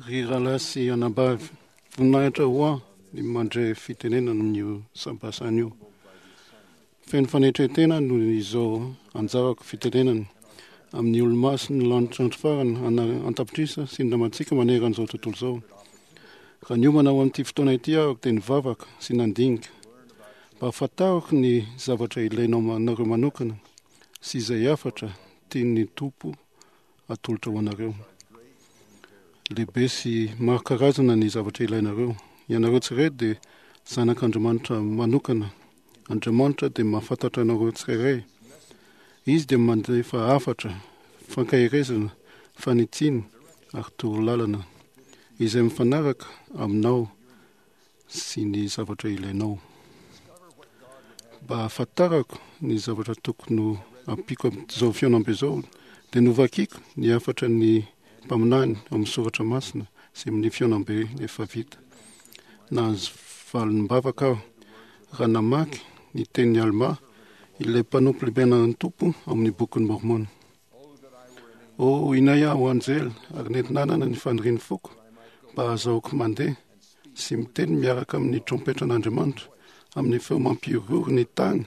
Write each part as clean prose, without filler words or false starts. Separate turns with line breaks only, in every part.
Ry rahalahy sy anabavy, voninahitra ho ahy ny mandre fitenenana amin'io sampasana io. Feno fanetren-tena noho izao anjarako fitenenana amin'ny olo-masin'ny lanitra andro farany an-tapitrisa sy ny namantsika manerana izao tontolo izao. Raha niomana ho amin'ity fotoana ity aho dia nivavaka sy nandinika mba hahafantarako ny zavatra ilainao anareo manokana sy izay hafatra tian'ny Tompo atolotra ho anareo. Lehibe sy maro karazana ny zavatra ilainareo. Ianareo tsirairay dia zanak'Andriamanitra manokana. Andriamanitra dia mahafantatra anareo tsirairay. Izy dia mandefa hafatra, fankaherezana, fanitsiana ary torolalana izay mifanaraka aminao sy ny zavatra ilainao. Mba hahafantarako ny zavatra tokony ho ampiako amin'izao fihaonambe izao, dia novakiko ny hafatra ny mpaminany ao amin'ny soratra masina sy amin'ny fihaonambe efa vita. Nahazo valim-bavaka aho raha namaky ny tenin'i Almà, ilay mpanompo lehiben'ny Tompo ao amin'ny Bokin'i Môrmôna. Oh, inay aho anjely ary nety nanana ny fanirian'ny foko mba hahazahoako mandeha sy miteny miaraka amin'ny trompetran'Andriamanitra amin'ny feo mampihorohoro ny tany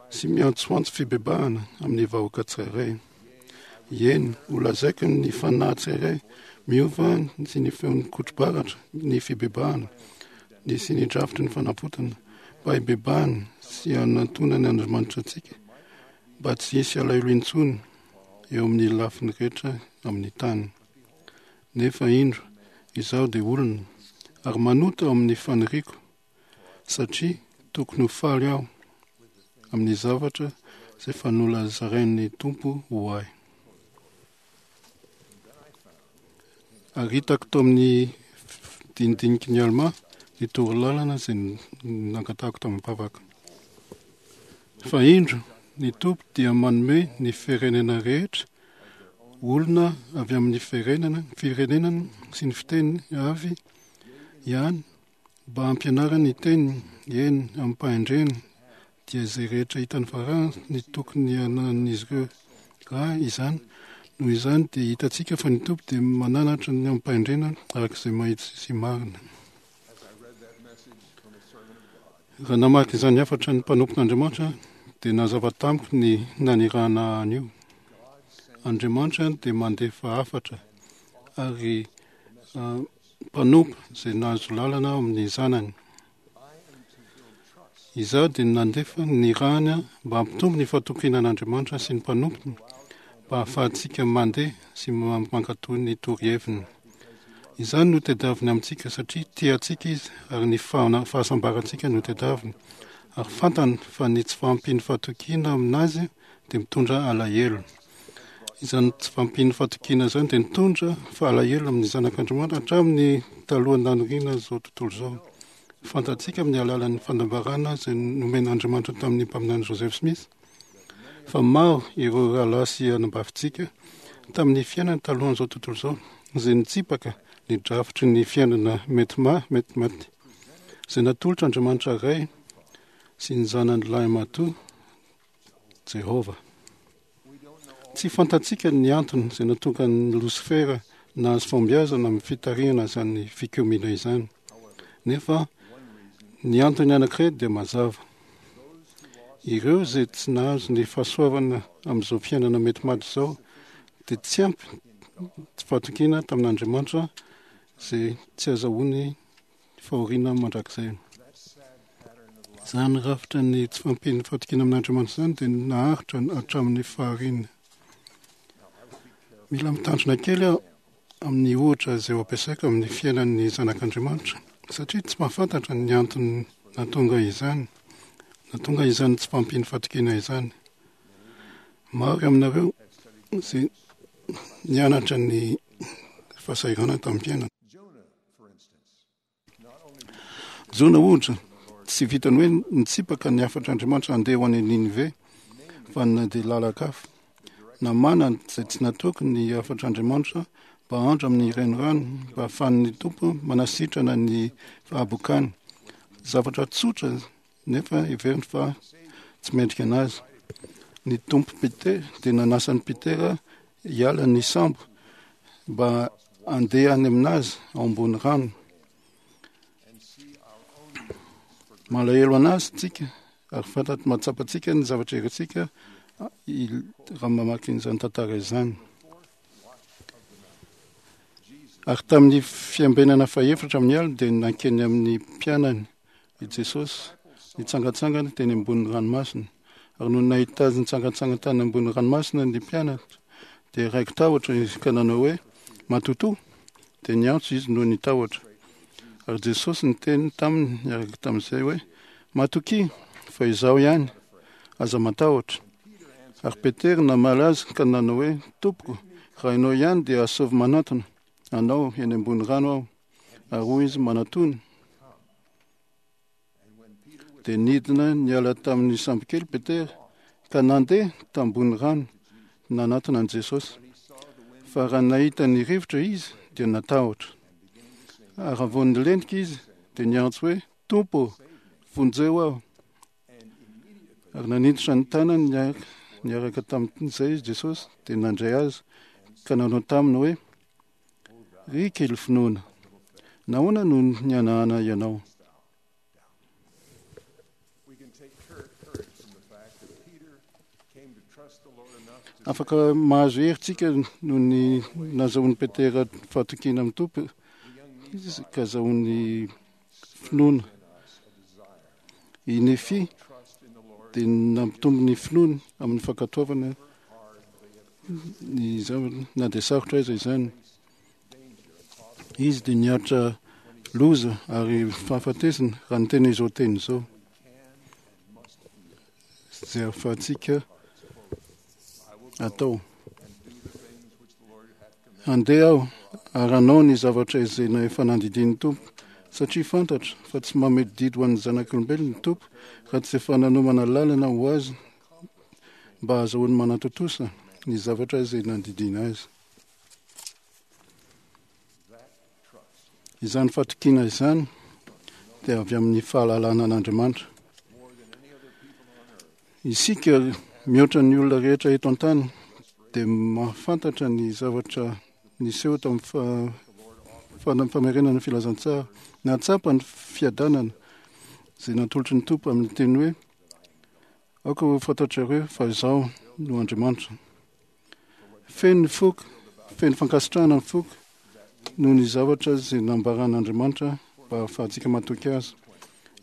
sy miantsoantso fibebahana amin'ny vahoaka tsirairay. Eny, holazaiko ny fanahy tsirairay miova sy ny feon'ny kotro-baratra ny fibebahana ny sy ny drafitry ny fanavotana mba hibebahana sy hanantonany Andriamanitra antsika mba tsy hisy alahelo intsony eo amin'ny lafiny rehetra amin'ny tany. Nefa indro, izaho dia olona, ary manota ao amin'ny faniriako, satria tokony ho faly aho amin'ny zavatra izay efa nolazarain'ny Tompo ho ahy. Ary hitako tao amin'ny dinidiniky ny Almà ny torolalana izay nangatahako tamim-bavaka. Fa indro, ny Tompo dia manome ny firenena rehetra olona avy amin'ny firenena, firenenany sy ny fiteny avy ihany mba hampianarany ny teniny, eny, amim-pahendrena, dia izay rehetra hitany fa raha ny tokony hananan'izy ireo raha izany. Noho izany dia hitantsika fa ny Tompo dia mananatra ny amim-pahendrena araka izay mahitsy sy marina. Raha namaky izany hafatra ny mpanompon'Andriamanitra dia nazava tamiko ny nanirahana an'io. Andriamanitra dia mandefa hafatra ary mpanompo izay nahazo lalana ao amin'ny zanany. Izaho dia nandefa ny rany mba hampitombo ny fahatokiana an'Andriamanitra sy ny mpanompony, mba hahafahantsika mandeha sy mankatò ny toroheviny. Izany no tadiaviny amintsika satria tia antsika Izy ary ny fahasambarantsika no tadiaviny, ary fantany fa ny tsy fahampian'ny fahatokiana amin'Azy dia mitondra alahelo. Izany tsy fahampian'ny fahatokiana izany dia nitondra fahalahelo amin'ny zanak'Andriamanitra hatramin'ny talohan'ny nanoriana izao tontolo izao. Fantatsika amin'ny alalan'ny fanambarana izay nomen'Andriamanitra tamin'ny mpaminany Joseph Smith fa maro ireo rahalahy sy anabavintsika tamin'ny fiainany talohan'izao tontolo izao izay nitsipaka ny drafitry ny fiainana mety mety maty izay natolotr'Andriamanitra Ray sy ny Zanany lahimatoa Jehovah. Tsy fantatsika ny antony izay nahatonga an'i Losifera nahazo fahombiazana amin'ny fitarihana izany fikomiana izany. Nefa ny antony anankiray dia mazava. Ireo izay tsy nahazo ny fahasoavana amin'izao fiainana mety maty izao dia tsy ampy fahatokiana tamin'Andriamanitra izay tsy azahoany fahoriana mandrakizay. Izany rafitra ny tsy fahampian'ny fahatokiana amin'Andriamanitra izany dia naharitra hatramin'ny fahariana. Mila mitandrina kely aho amin'ny ohatra izay ho ampiasaiko amin'ny fiainan'ny zanak'Andriamanitra satria tsy mahafantatra ny antony nahatonga izany, nahatonga izany tsy fahampian'ny fahatokiana izany. Maro aminareo izay nianatra ny fahasahiranana tamin'ny fiainana. Jona, ohatra, tsy vitan'ny hoe nitsipaka ny hafatr'Andriamanitra handeha ho any Ninive, fa nandeha lalan-kafa. Namana izay tsy natoky ny hafatr'Andriamanitra mba handra amin'ny renirano mba hahafahan'ny Tompo manasitrana ny fahabokany. Zavatra tsotra nefa heveriny fa tsy mendrika anazy. Ny Tompo Peter dia nanasa an'i Petera hiala ny sambo. mba handeha any aminazy ao ambony rano. Malahelo anazy tsika ary fantatry mahatsapantsika ny zavatra irintsika raha mamaky an'izany tantara izany. Ary tamin'ny fiambenana fahefatra amin'ny alina dia nankeny amin'ny mpianany i Jesosy nitsangantsangana teny ambonin'ny ranomasina. Ary nony nahita azy nitsangantsangana tany ambonin'ny ranomasina ny mpianatra dia raiki-tahotra izy ka nanao hoe, Matotoa! Dia niantso izy noho ny tahotra. Ary Jesosy niteny taminy niaraka tamin'izay hoe, Matokia, fa izaho ihany, aza matahotra. Ary Petera namaly azy ka nanao hoe, Tompoko, raha ianao ihany dia asaovy manantona anao eny ambony rano aho. Ary hoy izy, Manatòna. Dia nidina niala tamin'ny sambokely Petera ka nandeha tambony rano nanatona an'i Jesosy. Fa raha nahita ny rivotra izy dia natahotra. Ary raha vao nilentika izy dia niantso hoe, Tompo, vonjeo aho. Ary nanintotra ny tanany niaraka tamin'izay izy Jesosy dia nandray azy ka nanao taminy hoe, Ry kely finoana, nahoana no nihanahana ianao? Afaka mahazo hery tsika noho ny nazahoan'i Petera fahatokiana amin'ny Tompo ka azahoany finoana. I Nefia dia nampitombo ny finoany amin'ny fankatoavana ny zavatra na dia sarotra aiza izany. Izy dia niaritra loza ary fahafatesana raha niteny izao teny izao izay ahafahantsika atao. Handeha aho ary hanao ny zavatra izay efa nandidian'ny Tompo, satria fantatro fa tsy mamehy didy ho an'ny zanak'olombelona ny Tompo raha tsy efa nanomana lalana ho azy mba hahazahoany manatontosa ny zavatra izay nandidiana azy. Izany fatokiana izany dia avy amin'ny fahalalana an'Andriamanitra. Isika mihoatra ny olona rehetra eto an-tany dia mahafantatra ny zavatra niseho tamin'ny famerenana ny filazantsara. Nahatsapa ny fiadanana izay natolotry ny Tompo amin'ny teny hoe, Aoka ho fantatrareo fa Izaho no Andriamanitra. Feno ny foko, feno fankasitrahana ny foko noho ny zavatra izay nambaran'Andriamanitra mba hahafahantsika matoky azy.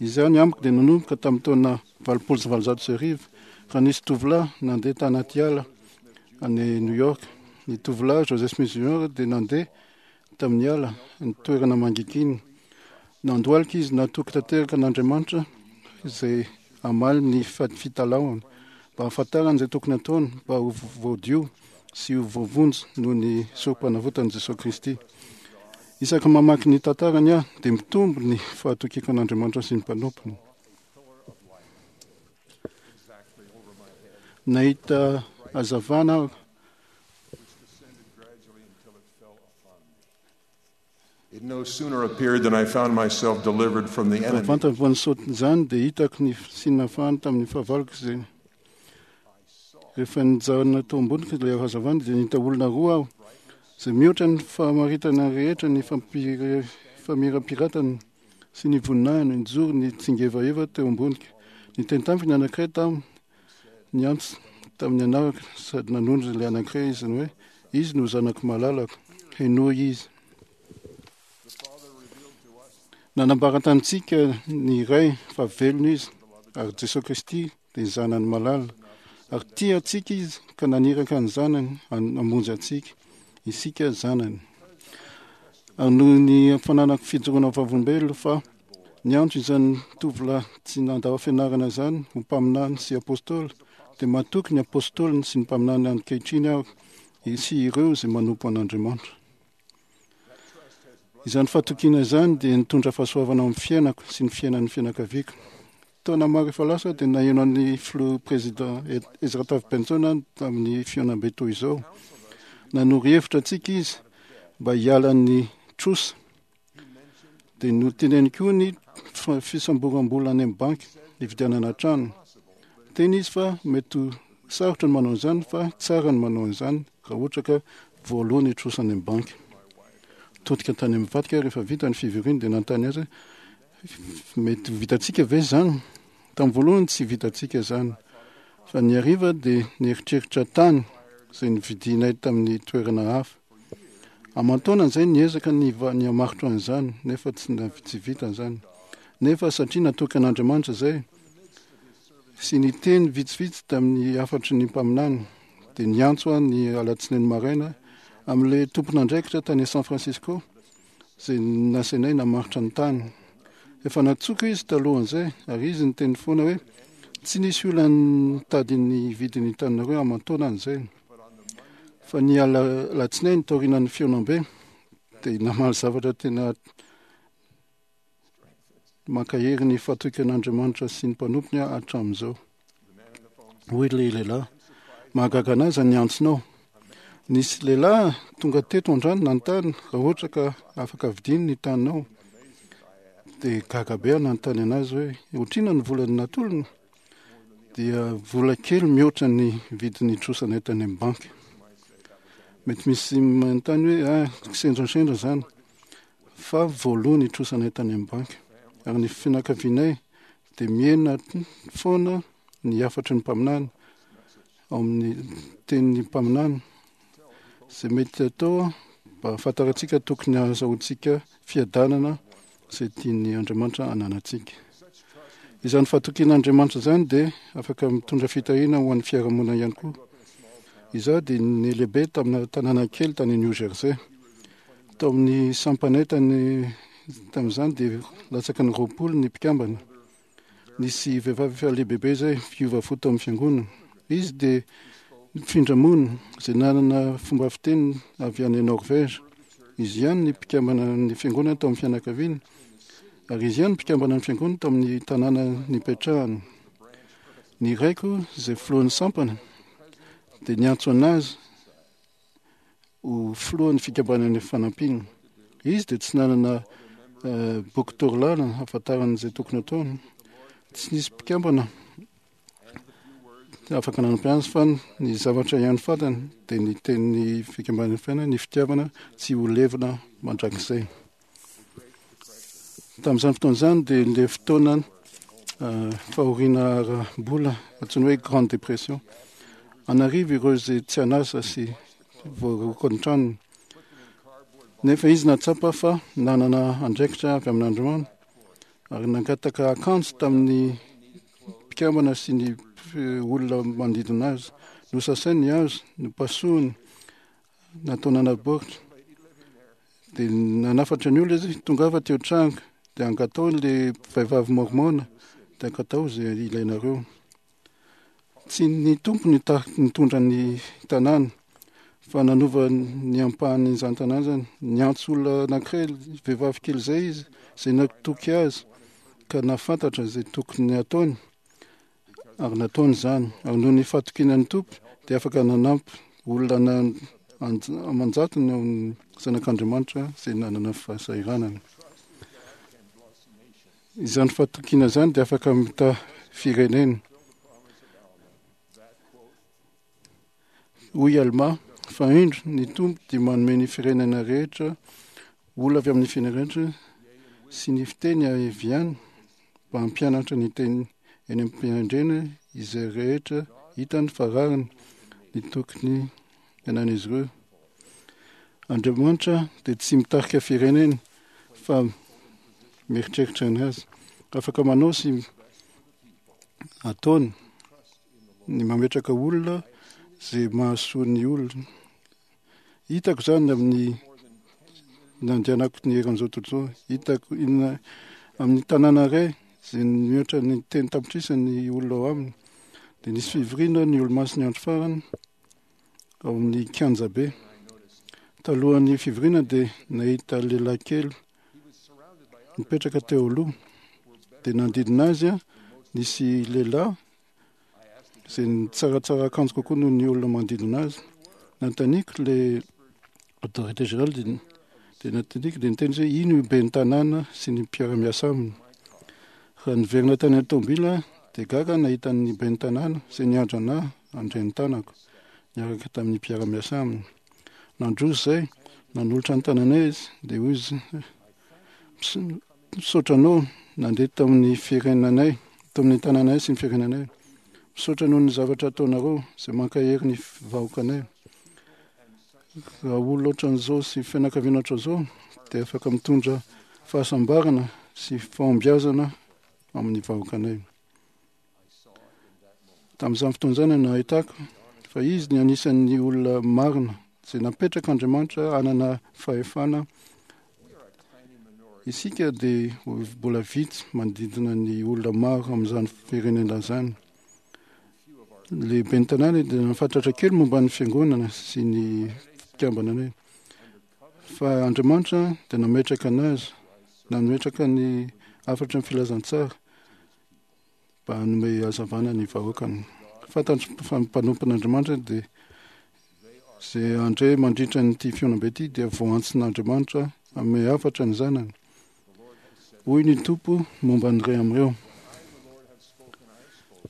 Izany amiko dia nanomboka tamin'ny taona 1880 raha nisy tovolahy nandeha tanaty ala any New York. Ny tovolahy Joseph Smith Jr. dia nandeha tamin'ny ala, ny toerana mangigina. Nandohalika izy natoky tanteraka an'Andriamanitra izay hamaly ny fitalahoany mba hahafantarany izay tokony hataony mba ho voadio sy ho voavonjy noho ny sorompanavotan'i Jesoa Kristy. Isaky mamaky ny tantarany aho dia mitombo ny fahatokiako an'Andriamanitra sy ny mpanompony. Nahita hazavana aho
It no sooner appeared than I found myself delivered from the
Raha
enemy.
vantany vao nisaoty izany dia hitako ny fisian'ny tamin'ny fahavaloko izay rehefa nijanona tao amboniko ilay hazavana dia nahita olona roa aho izay mihoatra ny fahamaritana rehetra ny famirapiratany sy ny voninahiny nijoro ny tsingevaheva teo amboniko. Niteny tamiko ny anankiray tamin'ny Niantso tamin'ny anarako sady nanondro ilay anankiray izy ny hoe, Izy no zanako malalako, henoy izy. Nanambara tamintsika ny Ray fa velona izy, ary Jesoa Kristy dia ny Zanany malala. Ary tia antsika izy ka naniraka ny Zanany hamonjy antsika, isika zanany. Ary noho ny fananako fijoroana vavolombelona fa Niantso izany tovolahy tsy nandao fianarana izany ho mpaminany sy apostoly, dia matoky ny apostoliny sy ny mpaminany ankehitriny aho sy ireo izay manompo an'Andriamanitra. Izany fatokiana izany dia nitondra fahasoavana ao amin'ny fiainako sy ny fiainan'ny fianakaviako. Taona maro efa lasa dia naheno an'ny filoha président Ezra Taft Benson aho tamin'ny fihaonambe toy izao. Nanoro hevitra antsika izy mba hiala ny trosa. Dia noteneniny koa ny fisamboram-bola any amin'ny banky hividianana trano. Niteny izy fa mety ho sarotra ny manao an'izany fa tsara ny manao an'izany raha ohatra ka voaloa ny trosa any amin'ny banky. Nitodika tany amin'ny vadiko aho rehefa vita ny fivoriana dia nanontany azy hoe, Mety ho vitantsika ve izany? Tamin'ny voalohany tsy vitantsika izany. Fa ny hariva dia nieritreritra tany izay novidianay tamin'ny toerana hafa. Aman-taonany izay niezaka ny ny hamaritra an'izany nefa tsy tsy vita izany. Nefa satria natoky an'Andriamanitra izay sy ny teny vitsivitsy tamin'ny hafatry ny mpaminany dia niantso aho ny alatsinainy maraina amin'ilay tompon'andraikitra tany San Francisco izay nasainay namaritra ny tany. Efa nantsoiko izy talohan'izay ary izy niteny foana hoe tsy nisy olona nitady ny hividy ny taninareo aman-taonany izay. Fa ny alatsinainy taorianan'ny fihaonambe dia namaly zavatra tena mankahery ny fahatokian'Andriamanitra sy ny mpanompony aho hatramin'izao. Hoy ilay lehilahy, mahagaga an'ahy izany antsonao. Nisy lehilahy tonga teto androany nanontany raha ohatra ka afaka vidiany ny taninao. Dia gaga be aho nanontany anazy hoe ohatr'inona ny vola natolony? Dia vola kely mihoatra ny vidin'ny trosanay tany amin'ny banky. Mety misy manontany hoe ah, kisendrasendra izany. Fa voaloa ny trosanay tany amin'ny banky. Ary ny fianakavianay dia mihena foana ny hafatry ny mpaminany ao amin'ny tenin'ny mpaminany. Izay mety atao mba hahafantarantsika tokony hahazahoantsika fiadanana izay tian'ny Andriamanitra hananantsika. Izany fahatokian'Andriamanitra izany dia afaka mitondra fitahiana ho an'ny fiarahamonina ihany koa. Izaho dia nilehibe tamina tanàna kely tany New Jersey. Tao amin'ny sampanay tany tamin'izany dia latsaky ny 20 ny mpikambana. Nisy vehivavy efa lehibebe izay mpiova fo tao amin'ny fiangonana. Izy dia nifindra monina, izay nanana fomba fiteny avy any Norvège. Izy ihany ny mpikambana ny fiangonana tao amin'ny fianakaviany, ary izy ihany mpikambana ny fiangonana tao amin'ny tanàna nipetrahany. Ny raiko, izay filohan'ny sampana, dia niantso an'azy ho filohan'ny fikambanan'ny fanampiana. Izy dia tsy nanana boky torolalana hahafantarany izay tokony hataony. Tsy nisy mpikambana afaka nanampy azy fa ny zavatra ihany fantany dia ny tenin'ny fikambanan'ny fiainana, ny fitiavana tsy ho levona mandrakizay. Tamin'izany fotoana izany dia ilay fotoana fahoriana ara-bola antsoina hoe grande dépression. An'arivo ireo izay tsy an'asa sy voaroaka ny tranony. Nefa izy nahatsapa fa nanana andraikitra avy amin'Andriamanitra ary nangataka akanjo tamin'ny mpikambana sy ny olona manodidina azy. Nosasainy ny hazo, nopasohiny, natao nanaboritra. Dia nanafatra ny olona izy, tongava teo an-trano, dia angatao ilay vehivavy mormona, dia angatao izay ilainareo. Tsy ny Tompo no nitondra ny tanàna, fa nanova ny ampahan'izany tanàna izany. Niantso olona anankiray, vehivavy kely izay izy, izay natoky azy, ka nahafantatra izay tokony hataony. Ary nataony izany. Ary noho ny fahatokiana ny Tompo, dia afaka nanampy olona aman-jatony ao amin'ny Zanak'Andriamanitra izay nanana fahasahiranana. Izany fahatokiana izany dia afaka mitaha firenena. Hoy Almà, Fa indro, ny Tompo dia manome ny firenena rehetra olona avy amin'ny firenena rehetra sy ny fiteny avy any mba hampianatra ny teny eny am-piandrena izay rehetra hitany fa rariny ny tokony hiainan'izy ireo. Andriamanitra dia tsy mitarika firenena fa mieritreritra ny azy. Afaka manao sy ataony ny mametraka olona izay mahasoa ny olona. Hitako izany amin'ny nandehanako ny eran'izao tontolo izao. Hitako inona amin'ny tanàna iray izay mihoatra ny telo tapitrisa ny olona ao aminy. Dia nisy fivoriana ny olomasin'ny andro farany ao amin'ny kianjabe. Talohan'ny fivoriana dia nahita lehilahy kely nipetraka teo aloha. Dia nanodidina azy nisy lehilahy izay nitsaratsara akanjo kokoa noho ny olona manodidina azy. Nanontaniako ilay autorité générale dia dia nanontaniako dia niteny izy hoe ino io ben'ny tanàna sy ny mpiara-miasa aminy. Raha niverina tany an-tomobila aho dia gaga aho nahita ny ben'ny tanàna izay niandry anà handray ny tanako niaraka tamin'ny mpiara-miasa aminy. Nandroso izay, nanolotra ny tananay izy, dia hoy izy, Misaotra anao nandeha tamin'ny firenanay, tamin'ny tanànay sy ny firenanay. Misaotra noho ny zavatra ataonareo izay mankahery ny vahoakanay. Raha olona ohatran'izao sy fianakaviana ohatran'izao dia afaka mitondra fahasambarana sy fahombiazana amin'ny vahoakanay. Tamin'izany fotoana izany no nahitako fa izy ny anisan'ny olona marina izay napetrak'Andriamanitra hanana fahefana. Isika dia mbola vitsy manodidina ny olona maro amin'izany firenena izany. Ny lehiben'ny tanàna dia nahafantatra kely momba ny fiangonana sy ny fikambananay. Fa Andriamanitra dia nametraka anazy, nametraka ny hafatry ny filazantsara. mba hanome hazavana ny vahoakany. Fantatro fa ny mpanompon'Andriamanitra dia izay handre mandritra an'ity fihaonambe ity dia voantsin'Andriamanitra hanome hafatra ny zanany. Hoy ny Tompo momba ny iray amin'ireo.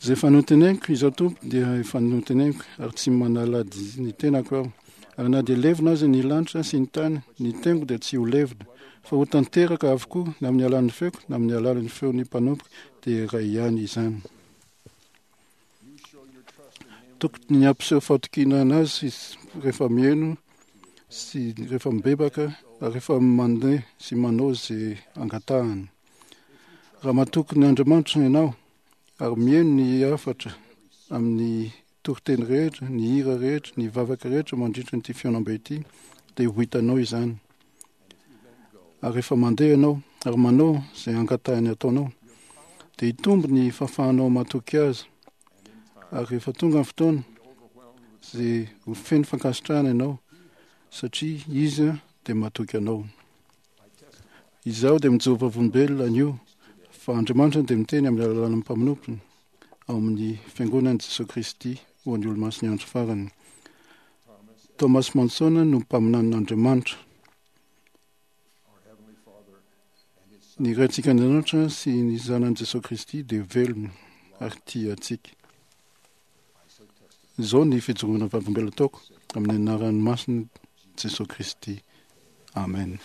Izay efa noteneniko, izaho Tompo dia efa noteneniko ary tsy manala ny tenako aho. Ary na dia levona aza ny lanitra sy ny tany, ny teniko dia tsy ho levona, fa ho tanteraka avokoa na amin'ny alalan'ny feoko na amin'ny alalan'ny feon'ny mpanompoko, dia iray ihany izany. Tokony hampiseho fahatokiana anazy izy rehefa mihaino sy rehefa mibebaka ary rehefa mandeha sy manao izay angatahany. Raha matoky ny Andriamanitra ianao ary mihaino ny hafatra amin'ny toriteny rehetra, ny hira rehetra, ny vavaka rehetra mandritra ity fihaonambe ity, dia ho hitanao izany. Ary rehefa mandeha ianao ary manao izay angatahiny ataonao, dia hitombo ny fahafahanao matoky azy. Ary rehefa tonga ny fotoana, izay ho feno fankasitrahana ianao, satria izy dia matoky anao. Izaho dia mijoro vavolombelona anio fa Andriamanitra dia miteny amin'ny alalan'ny mpamonompony ao amin'ny Fiangonan'i Jesoa Kristy ho an'ny Olomasin'ny Andro Farany. Thomas Monson no mpaminanin'Andriamanitra. Ny Raintsika Andriamanitra sy ny Zanany Jesoa Kristy dia velona ary tia antsika. Izao ny fijoroana vavolombelona ataoko amin'ny anaran'ny masina Jesoa Kristy. Amen.